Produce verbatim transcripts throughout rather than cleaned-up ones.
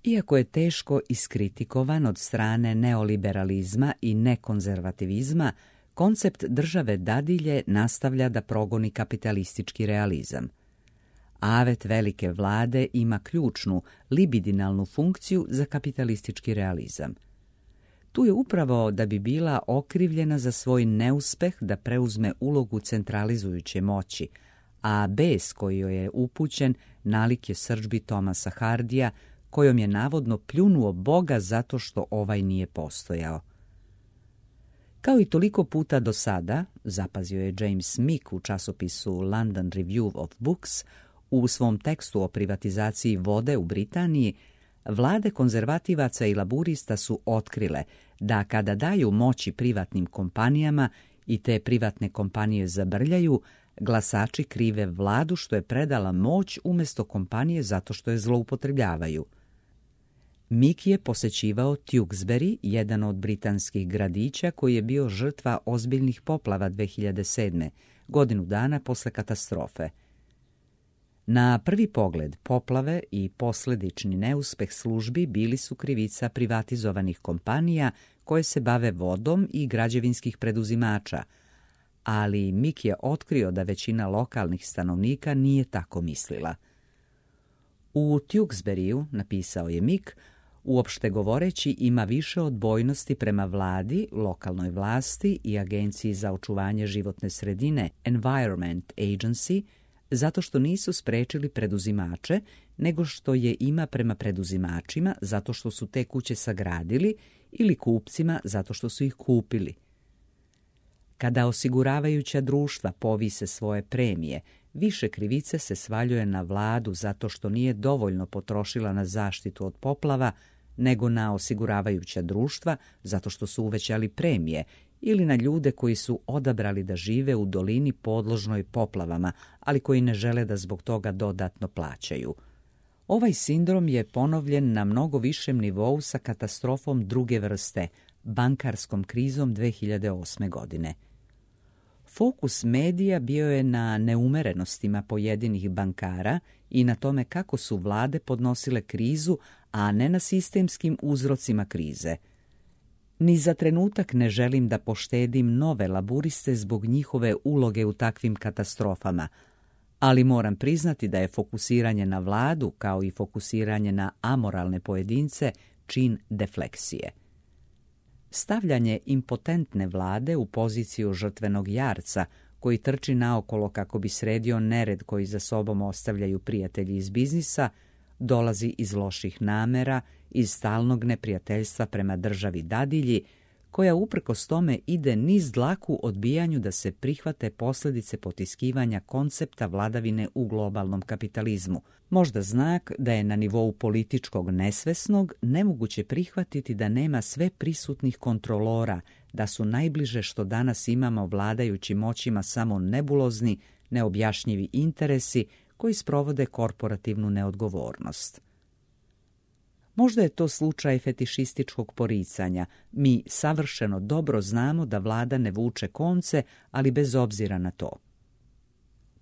Iako je teško iskritikovan od strane neoliberalizma i nekonzervativizma, koncept države dadilje nastavlja da progoni kapitalistički realizam. Avet velike vlade ima ključnu, libidinalnu funkciju za kapitalistički realizam. Tu je upravo da bi bila okrivljena za svoj neuspeh da preuzme ulogu centralizujuće moći, a bes koji joj je upućen nalik je srdžbi Thomasa Hardija, kojom je navodno pljunuo Boga zato što ovaj nije postojao. Kao i toliko puta do sada, zapazio je James Mick u časopisu London Review of Books, u svom tekstu o privatizaciji vode u Britaniji, vlade konzervativaca i laburista su otkrile da kada daju moći privatnim kompanijama i te privatne kompanije zabrljaju, glasači krive vladu što je predala moć umjesto kompanije zato što je zloupotrebljavaju. Mick je posećivao Tewkesbury, jedan od britanskih gradića koji je bio žrtva ozbiljnih poplava dve hiljade sedme, godinu dana posle katastrofe. Na prvi pogled poplave i posljedični neuspeh službi bili su krivica privatizovanih kompanija koje se bave vodom i građevinskih preduzimača, ali Mick je otkrio da većina lokalnih stanovnika nije tako mislila. U Tewkesburyu, napisao je Mick, uopšte govoreći ima više odbojnosti prema vladi, lokalnoj vlasti i agenciji za očuvanje životne sredine Environment Agency, zato što nisu sprečili preduzimače, nego što je ima prema preduzimačima zato što su te kuće sagradili ili kupcima zato što su ih kupili. Kada osiguravajuća društva povise svoje premije, više krivice se svaljuje na vladu zato što nije dovoljno potrošila na zaštitu od poplava, nego na osiguravajuća društva zato što su uvećali premije ili na ljude koji su odabrali da žive u dolini podložnoj poplavama, ali koji ne žele da zbog toga dodatno plaćaju. Ovaj sindrom je ponovljen na mnogo višem nivou sa katastrofom druge vrste, bankarskom krizom dve hiljade osme. godine. Fokus medija bio je na neumerenostima pojedinih bankara i na tome kako su vlade podnosile krizu, a ne na sistemskim uzrocima krize. Ni za trenutak ne želim da poštedim nove laburiste zbog njihove uloge u takvim katastrofama, ali moram priznati da je fokusiranje na vladu, kao i fokusiranje na amoralne pojedince, čin defleksije. Stavljanje impotentne vlade u poziciju žrtvenog jarca, koji trči naokolo kako bi sredio nered koji za sobom ostavljaju prijatelji iz biznisa, dolazi iz loših namera, iz stalnog neprijateljstva prema državi dadilji, koja uprkos tome ide niz dlaku odbijanju da se prihvate posljedice potiskivanja koncepta vladavine u globalnom kapitalizmu. Možda znak da je na nivou političkog nesvesnog nemoguće prihvatiti da nema sve prisutnih kontrolora, da su najbliže što danas imamo vladajućim moćima samo nebulozni, neobjašnjivi interesi koji sprovode korporativnu neodgovornost. Možda je to slučaj fetišističkog poricanja. Mi savršeno dobro znamo da vlada ne vuče konce, ali bez obzira na to.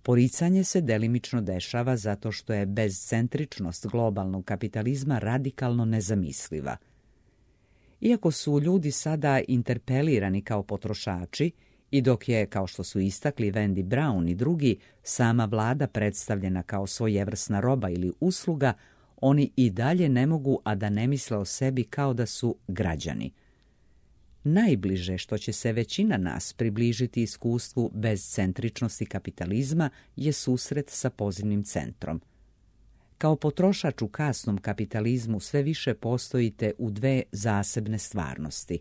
Poricanje se delimično dešava zato što je bezcentričnost globalnog kapitalizma radikalno nezamisliva. Iako su ljudi sada interpelirani kao potrošači, i dok je, kao što su istakli Wendy Brown i drugi, sama vlada predstavljena kao svojevrsna roba ili usluga, oni i dalje ne mogu, a da ne misle o sebi kao da su građani. Najbliže što će se većina nas približiti iskustvu bezcentričnosti kapitalizma je susret sa pozivnim centrom. Kao potrošač u kasnom kapitalizmu sve više postojite u dve zasebne stvarnosti.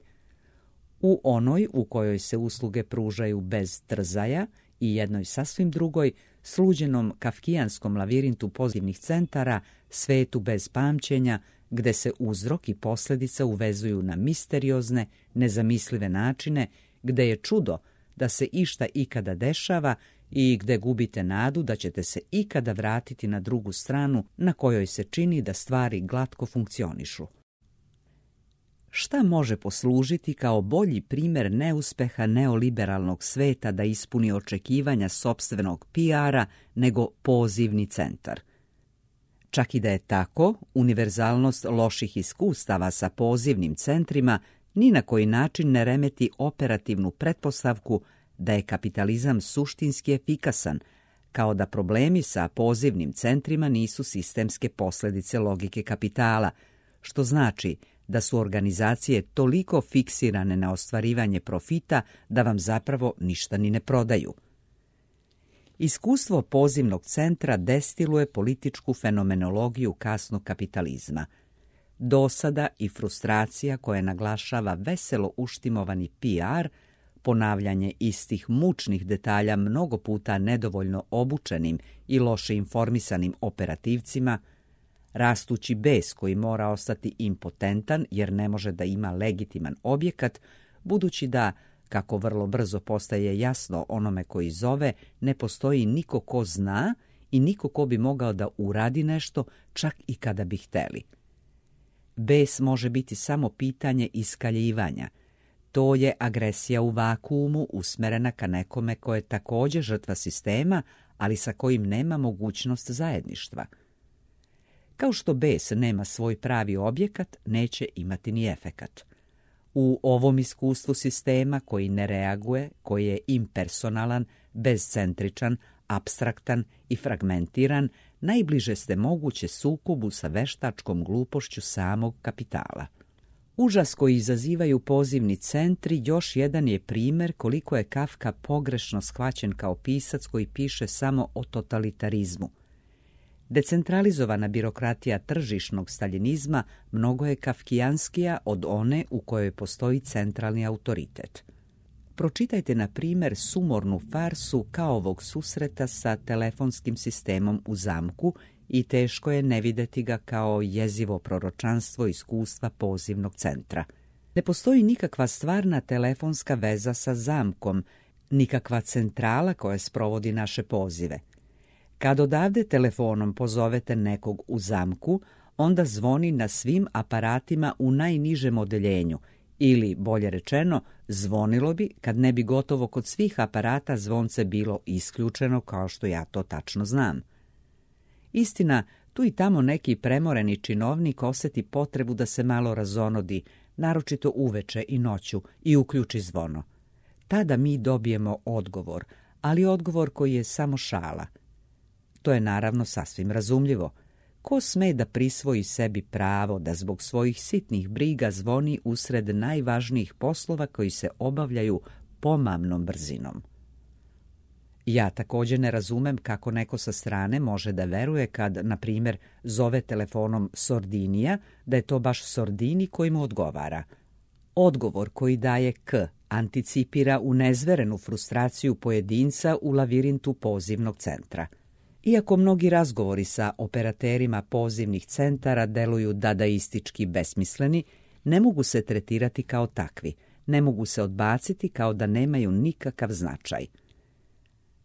U onoj u kojoj se usluge pružaju bez trzaja i jednoj sasvim drugoj, sluđenom kafkijanskom lavirintu pozivnih centara, svetu bez pamćenja, gde se uzrok i posljedica uvezuju na misteriozne, nezamislive načine, gde je čudo da se išta ikada dešava i gde gubite nadu da ćete se ikada vratiti na drugu stranu na kojoj se čini da stvari glatko funkcionišu. Šta može poslužiti kao bolji primjer neuspeha neoliberalnog sveta da ispuni očekivanja sopstvenog P R-a nego pozivni centar? Čak i da je tako, univerzalnost loših iskustava sa pozivnim centrima ni na koji način ne remeti operativnu pretpostavku da je kapitalizam suštinski efikasan, kao da problemi sa pozivnim centrima nisu sistemske posljedice logike kapitala, što znači da su organizacije toliko fiksirane na ostvarivanje profita da vam zapravo ništa ni ne prodaju. Iskustvo pozivnog centra destiluje političku fenomenologiju kasnog kapitalizma. Dosada i frustracija koja naglašava veselo uštimovani P R, ponavljanje istih mučnih detalja mnogo puta nedovoljno obučenim i loše informisanim operativcima, rastući bes koji mora ostati impotentan jer ne može da ima legitiman objekat, budući da, kako vrlo brzo postaje jasno onome koji zove, ne postoji niko ko zna i niko ko bi mogao da uradi nešto, čak i kada bi hteli. Bes može biti samo pitanje iskaljivanja. To je agresija u vakuumu usmerena ka nekome ko je također žrtva sistema, ali sa kojim nema mogućnost zajedništva. Kao što bes nema svoj pravi objekat, neće imati ni efekat. U ovom iskustvu sistema koji ne reaguje, koji je impersonalan, bezcentričan, apstraktan i fragmentiran, najbliže ste moguće sukobu sa veštačkom glupošću samog kapitala. Užas koji izazivaju pozivni centri još jedan je primjer koliko je Kafka pogrešno shvaćen kao pisac koji piše samo o totalitarizmu. Decentralizovana birokratija tržišnog staljinizma mnogo je kafkijanskija od one u kojoj postoji centralni autoritet. Pročitajte, na primjer, sumornu farsu Kaovog susreta sa telefonskim sistemom u zamku i teško je ne vidjeti ga kao jezivo proročanstvo iskustva pozivnog centra. Ne postoji nikakva stvarna telefonska veza sa zamkom, nikakva centrala koja sprovodi naše pozive. Kad odavde telefonom pozovete nekog u zamku, onda zvoni na svim aparatima u najnižem odeljenju, ili, bolje rečeno, zvonilo bi kad ne bi gotovo kod svih aparata zvonce bilo isključeno, kao što ja to tačno znam. Istina, tu i tamo neki premoreni činovnik osjeti potrebu da se malo razonodi, naročito uveče i noću, i uključi zvono. Tada mi dobijemo odgovor, ali odgovor koji je samo šala. To je naravno sasvim razumljivo. Ko sme da prisvoji sebi pravo da zbog svojih sitnih briga zvoni usred najvažnijih poslova koji se obavljaju pomamnom brzinom? Ja također ne razumem kako neko sa strane može da veruje kad, na primjer, zove telefonom Sordinija, da je to baš Sordini koji mu odgovara. Odgovor koji daje K anticipira unezverenu frustraciju pojedinca u lavirintu pozivnog centra. Iako mnogi razgovori sa operaterima pozivnih centara deluju dadaistički besmisleni, ne mogu se tretirati kao takvi, ne mogu se odbaciti kao da nemaju nikakav značaj.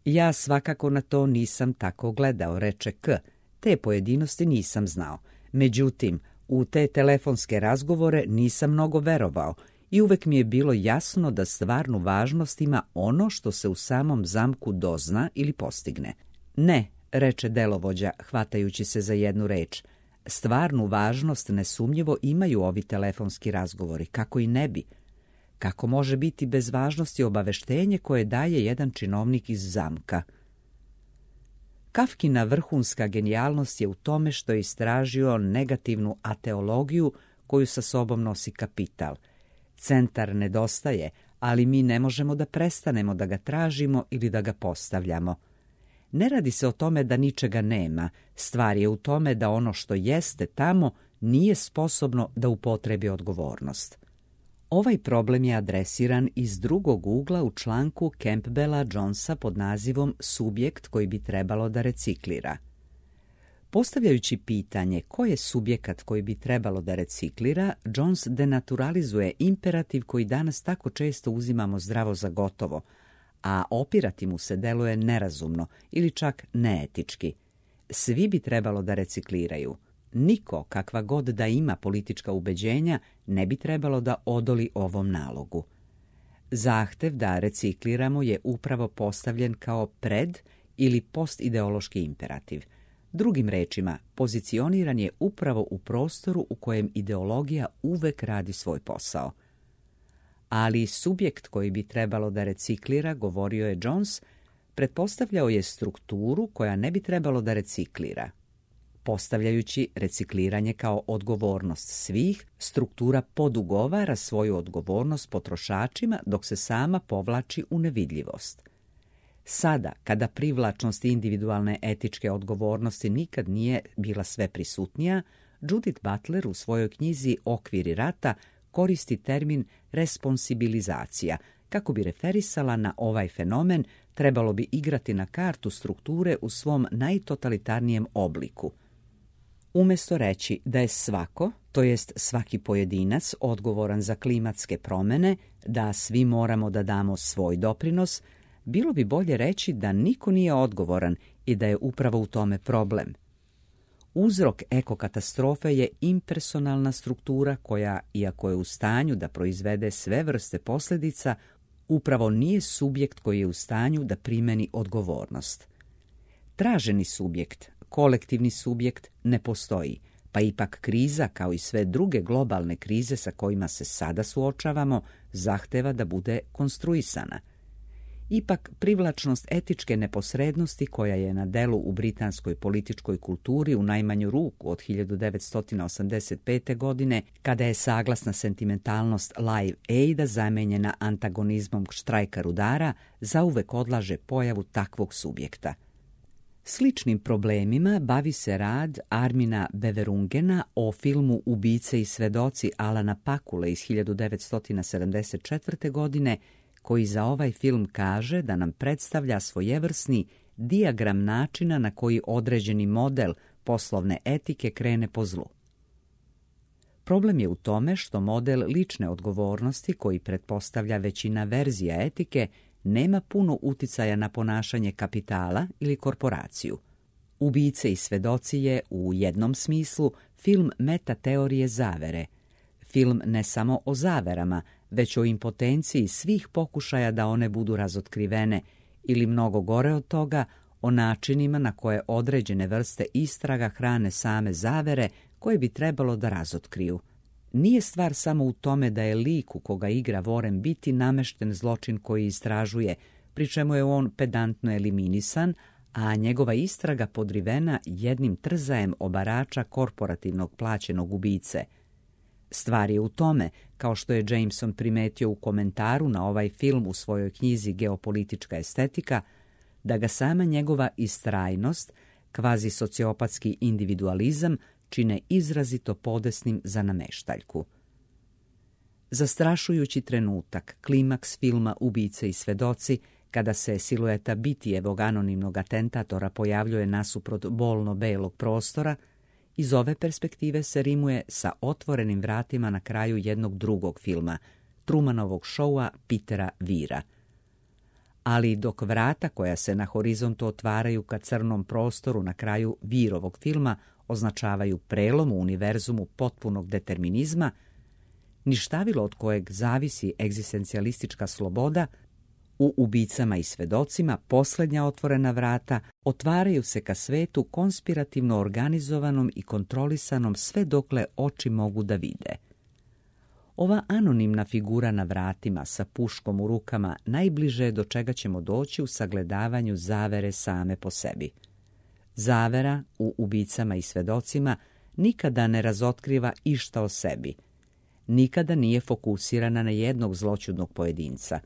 Ja svakako na to nisam tako gledao, reče K, te pojedinosti nisam znao. Međutim, u te telefonske razgovore nisam mnogo verovao i uvek mi je bilo jasno da stvarnu važnost ima ono što se u samom zamku dozna ili postigne. Ne, reče delovođa, hvatajući se za jednu reč. Stvarnu važnost nesumnjivo imaju ovi telefonski razgovori, kako i ne bi. Kako može biti bez važnosti obaveštenje koje daje jedan činovnik iz zamka? Kafkina vrhunska genijalnost je u tome što je istražio negativnu ateologiju koju sa sobom nosi kapital. Centar nedostaje, ali mi ne možemo da prestanemo da ga tražimo ili da ga postavljamo. Ne radi se o tome da ničega nema, stvar je u tome da ono što jeste tamo nije sposobno da upotrebi odgovornost. Ovaj problem je adresiran iz drugog ugla u članku Campbella Jonesa pod nazivom Subjekt koji bi trebalo da reciklira. Postavljajući pitanje ko je subjekat koji bi trebalo da reciklira, Jones denaturalizuje imperativ koji danas tako često uzimamo zdravo za gotovo, a opirati mu se deluje nerazumno ili čak neetički. Svi bi trebalo da recikliraju. Niko, kakva god da ima politička ubeđenja, ne bi trebalo da odoli ovom nalogu. Zahtev da recikliramo je upravo postavljen kao pred- ili postideološki imperativ. Drugim rečima, pozicioniran je upravo u prostoru u kojem ideologija uvek radi svoj posao. Ali subjekt koji bi trebalo da reciklira, govorio je Jones, pretpostavljao je strukturu koja ne bi trebalo da reciklira. Postavljajući recikliranje kao odgovornost svih, struktura podugovara svoju odgovornost potrošačima dok se sama povlači u nevidljivost. Sada, kada privlačnost individualne etičke odgovornosti nikad nije bila sve prisutnija, Judith Butler u svojoj knjizi Okviri rata koristi termin responsibilizacija. Kako bi referisala na ovaj fenomen, trebalo bi igrati na kartu strukture u svom najtotalitarnijem obliku. Umjesto reći da je svako, to jest svaki pojedinac, odgovoran za klimatske promjene, da svi moramo da damo svoj doprinos, bilo bi bolje reći da niko nije odgovoran i da je upravo u tome problem. Uzrok ekokatastrofe je impersonalna struktura koja, iako je u stanju da proizvede sve vrste posljedica, upravo nije subjekt koji je u stanju da primeni odgovornost. Traženi subjekt, kolektivni subjekt, ne postoji, pa ipak kriza, kao i sve druge globalne krize sa kojima se sada suočavamo, zahteva da bude konstruisana. Ipak, privlačnost etičke neposrednosti koja je na delu u britanskoj političkoj kulturi u najmanju ruku od hiljadu devetsto osamdeset pete. godine, kada je saglasna sentimentalnost Live Aida zamenjena antagonizmom štrajka rudara, zauvek odlaže pojavu takvog subjekta. Sličnim problemima bavi se rad Armina Beverungena o filmu Ubice i svedoci Alana Pakule iz hiljadu devetsto sedamdeset četvrte. godine, koji za ovaj film kaže da nam predstavlja svojevrsni dijagram načina na koji određeni model poslovne etike krene po zlu. Problem je u tome što model lične odgovornosti, koji pretpostavlja većina verzija etike, nema puno uticaja na ponašanje kapitala ili korporaciju. Ubice i svedoci je, u jednom smislu, film metateorije zavere. Film ne samo o zaverama, već o impotenciji svih pokušaja da one budu razotkrivene, ili mnogo gore od toga, o načinima na koje određene vrste istraga hrane same zavere koje bi trebalo da razotkriju. Nije stvar samo u tome da je lik u koga igra Warren Beatty namešten zločin koji istražuje, pri čemu je on pedantno eliminisan, a njegova istraga podrivena jednim trzajem obarača korporativnog plaćenog ubice. Stvar je u tome, kao što je Jameson primetio u komentaru na ovaj film u svojoj knjizi Geopolitička estetika, da ga sama njegova istrajnost, kvazi sociopatski individualizam, čine izrazito podesnim za nameštaljku. Zastrašujući trenutak, klimaks filma Ubice i svedoci, kada se silueta Beattyjevog anonimnog atentatora pojavljuje nasuprot bolno-belog prostora, iz ove perspektive se rimuje sa otvorenim vratima na kraju jednog drugog filma, Trumanovog šoua Petera Weira. Ali dok vrata koja se na horizontu otvaraju ka crnom prostoru na kraju Weirovog filma označavaju prelom u univerzumu potpunog determinizma, ništavilo od kojeg zavisi egzistencijalistička sloboda, u Ubicama i svedocima posljednja otvorena vrata otvaraju se ka svetu konspirativno organizovanom i kontrolisanom sve dokle oči mogu da vide. Ova anonimna figura na vratima sa puškom u rukama najbliže je do čega ćemo doći u sagledavanju zavere same po sebi. Zavera u Ubicama i svedocima nikada ne razotkriva išta o sebi. Nikada nije fokusirana na jednog zloćudnog pojedinca.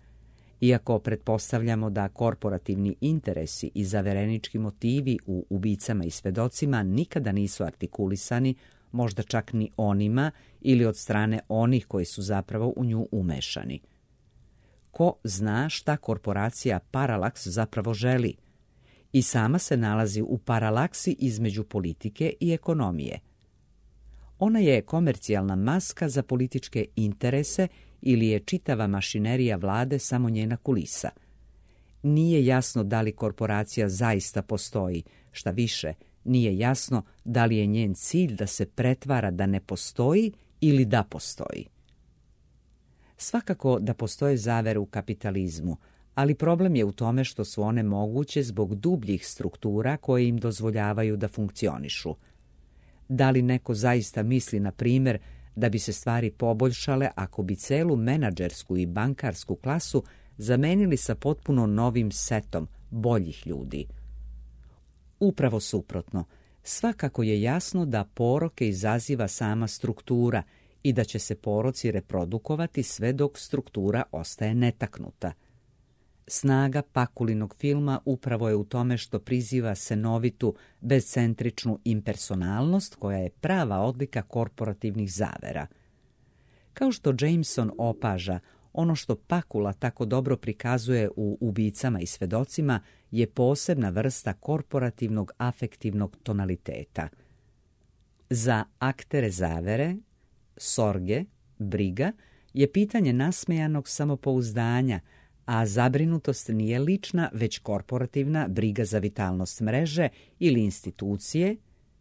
Iako pretpostavljamo da korporativni interesi i zaverenički motivi u Ubicama i svedocima nikada nisu artikulisani, možda čak ni onima ili od strane onih koji su zapravo u nju umešani. Ko zna šta korporacija Parallax zapravo želi? I sama se nalazi u paralaksi između politike i ekonomije. Ona je komercijalna maska za političke interese ili je čitava mašinerija vlade samo njena kulisa. Nije jasno da li korporacija zaista postoji, šta više, nije jasno da li je njen cilj da se pretvara da ne postoji ili da postoji. Svakako da postoje zavere u kapitalizmu, ali problem je u tome što su one moguće zbog dubljih struktura koje im dozvoljavaju da funkcionišu. Da li neko zaista misli, na primjer, da bi se stvari poboljšale ako bi celu menadžersku i bankarsku klasu zamenili sa potpuno novim setom boljih ljudi? Upravo suprotno, svakako je jasno da poroke izaziva sama struktura i da će se poroci reprodukovati sve dok struktura ostaje netaknuta. Snaga Pakulinog filma upravo je u tome što priziva senovitu, bezcentričnu impersonalnost koja je prava odlika korporativnih zavera. Kao što Jameson opaža, ono što Pakula tako dobro prikazuje u Ubicama i svedocima je posebna vrsta korporativnog afektivnog tonaliteta. Za aktere zavere, sorge, briga je pitanje nasmejanog samopouzdanja, a zabrinutost nije lična, već korporativna briga za vitalnost mreže ili institucije,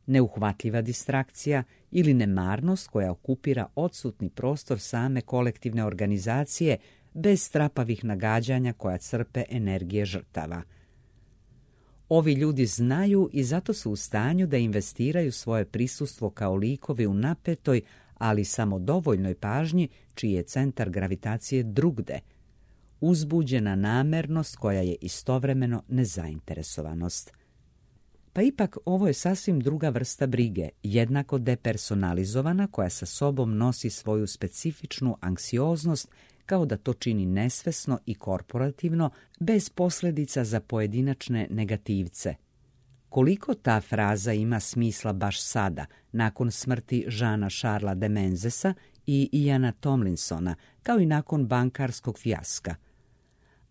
neuhvatljiva distrakcija ili nemarnost koja okupira odsutni prostor same kolektivne organizacije bez strapavih nagađanja koja crpe energije žrtava. Ovi ljudi znaju i zato su u stanju da investiraju svoje prisustvo kao likovi u napetoj, ali samo dovoljnoj pažnji čiji je centar gravitacije drugde, uzbuđena namernost koja je istovremeno nezainteresovanost. Pa ipak ovo je sasvim druga vrsta brige, jednako depersonalizovana, koja sa sobom nosi svoju specifičnu anksioznost, kao da to čini nesvesno i korporativno, bez posljedica za pojedinačne negativce. Koliko ta fraza ima smisla baš sada, nakon smrti Jeana Charlesa de Menzesa i Iana Tomlinsona, kao i nakon bankarskog fijaska.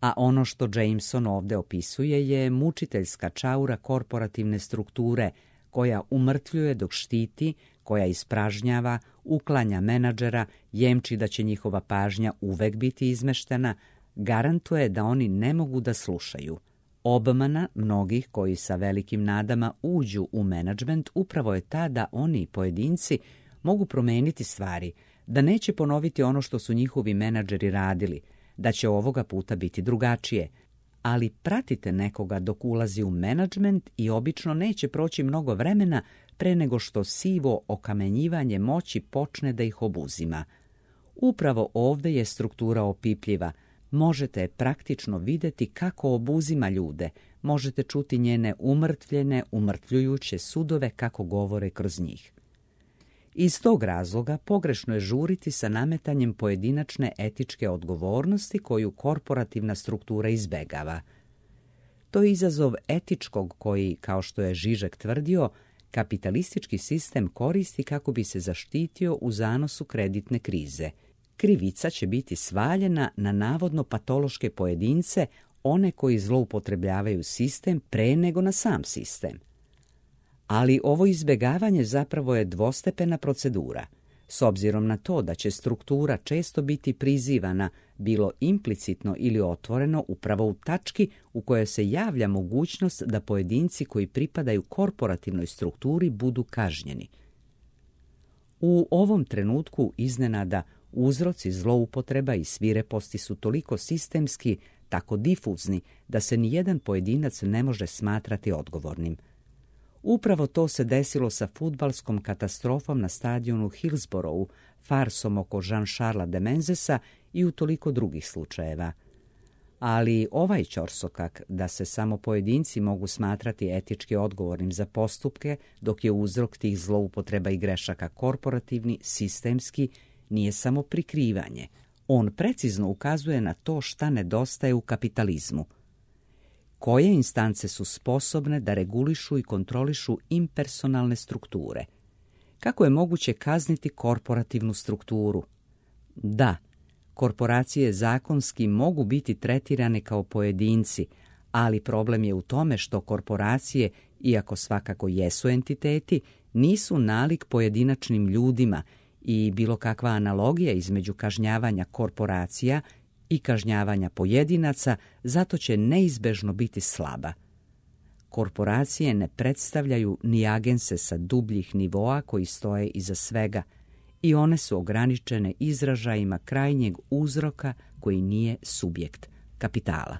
A ono što Jameson ovdje opisuje je mučiteljska čaura korporativne strukture koja umrtvljuje dok štiti, koja ispražnjava, uklanja menadžera, jemči da će njihova pažnja uvek biti izmeštena, garantuje da oni ne mogu da slušaju. Obmana mnogih koji sa velikim nadama uđu u menadžment upravo je ta da oni, pojedinci, mogu promeniti stvari, da neće ponoviti ono što su njihovi menadžeri radili, da će ovoga puta biti drugačije. Ali pratite nekoga dok ulazi u menadžment i obično neće proći mnogo vremena pre nego što sivo okamenjivanje moći počne da ih obuzima. Upravo ovdje je struktura opipljiva. Možete je praktično vidjeti kako obuzima ljude, možete čuti njene umrtvljene, umrtvljujuće sudove kako govore kroz njih. Iz tog razloga pogrešno je žuriti sa nametanjem pojedinačne etičke odgovornosti koju korporativna struktura izbegava. To je izazov etičkog koji, kao što je Žižek tvrdio, kapitalistički sistem koristi kako bi se zaštitio u zanosu kreditne krize. Krivica će biti svaljena na navodno patološke pojedince, one koji zloupotrebljavaju sistem pre nego na sam sistem. Ali ovo izbjegavanje zapravo je dvostepena procedura. S obzirom na to da će struktura često biti prizivana, bilo implicitno ili otvoreno, upravo u tački u kojoj se javlja mogućnost da pojedinci koji pripadaju korporativnoj strukturi budu kažnjeni. U ovom trenutku iznenada uzroci zloupotreba i svireposti su toliko sistemski, tako difuzni, da se nijedan pojedinac ne može smatrati odgovornim. Upravo to se desilo sa fudbalskom katastrofom na stadionu Hillsboroughu, farsom oko Jeana Charlesa de Menzesa i u toliko drugih slučajeva. Ali ovaj ćorsokak da se samo pojedinci mogu smatrati etički odgovornim za postupke, dok je uzrok tih zloupotreba i grešaka korporativni, sistemski, nije samo prikrivanje. On precizno ukazuje na to šta nedostaje u kapitalizmu. Koje instance su sposobne da regulišu i kontrolišu impersonalne strukture? Kako je moguće kazniti korporativnu strukturu? Da, korporacije zakonski mogu biti tretirane kao pojedinci, ali problem je u tome što korporacije, iako svakako jesu entiteti, nisu nalik pojedinačnim ljudima i bilo kakva analogija između kažnjavanja korporacija i kažnjavanja pojedinaca zato će neizbežno biti slaba. Korporacije ne predstavljaju ni agense sa dubljih nivoa koji stoje iza svega i one su ograničene izražajima krajnjeg uzroka koji nije subjekt kapitala.